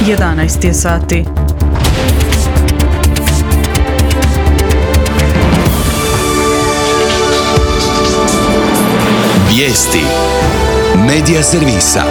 11 je sati. Vijesti Medija servisa.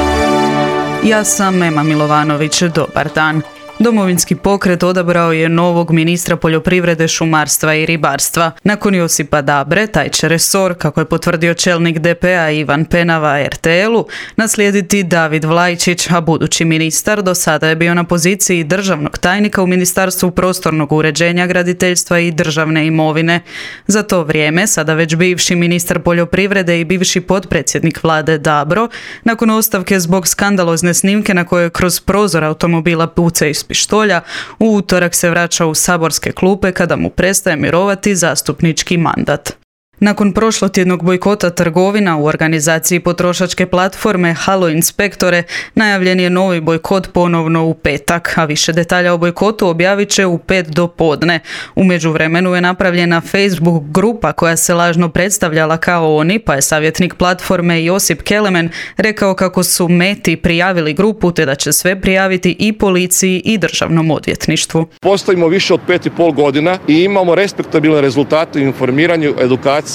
Ja sam Ema Milovanović, dobar dan. Domovinski pokret odabrao je novog ministra poljoprivrede, šumarstva i ribarstva. Nakon Josipa Dabre, taj će resor, kako je potvrdio čelnik DP-a Ivan Penava RTL-u, naslijediti David Vlajčić, a budući ministar do sada je bio na poziciji državnog tajnika u Ministarstvu prostornog uređenja, graditeljstva i državne imovine. Za to vrijeme, sada već bivši ministar poljoprivrede i bivši potpredsjednik vlade Dabro, nakon ostavke zbog skandalozne snimke na kojoj kroz prozor automobila puca iz pištolja, u utorak se vraća u saborske klupe kada mu prestaje mirovati zastupnički mandat. Nakon prošlotjednog bojkota trgovina u organizaciji potrošačke platforme Halo Inspektore, najavljen je novi bojkot ponovno u petak, a više detalja o bojkotu objavit će u 5 do podne. U međuvremenu je napravljena Facebook grupa koja se lažno predstavljala kao oni, pa je savjetnik platforme Josip Kelemen rekao kako su Meti prijavili grupu te da će sve prijaviti i policiji i državnom odvjetništvu. Postojimo više od 5,5 godina i imamo respektabilne rezultate u informiranju, edukaciji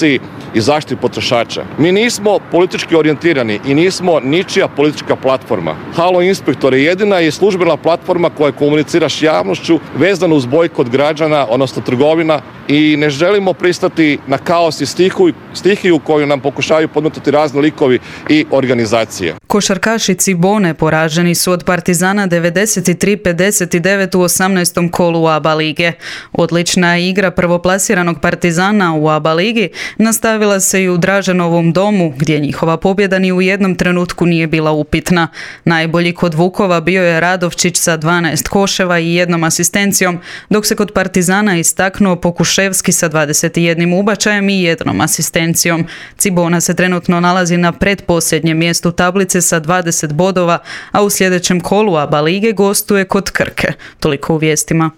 i zaštiti potrošača. Mi nismo politički orijentirani i nismo ničija politička platforma. Halo Inspektor je jedina i službena platforma koja komunicira s javnošću vezano uz bojkot građana, odnosno trgovina, i ne želimo pristati na kaos i stihiju koju nam pokušavaju podmetati razni likovi i organizacije. Košarkaši Cibone poraženi su od Partizana 93-59 u 18. kolu ABA lige. Odlična igra prvoplasiranog Partizana u ABA ligi nastavila se i u Draženovom domu, gdje njihova pobjeda ni u jednom trenutku nije bila upitna. Najbolji kod Vukova bio je Radovčić sa 12 koševa i 1 asistencijom, dok se kod Partizana istaknuo Pokuševski sa 21 ubačajem i 1 asistencijom. Cibona se trenutno nalazi na pretposljednjem mjestu tablice sa 20 bodova, a u sljedećem kolu ABA lige gostuje kod Krke. Toliko u vijestima.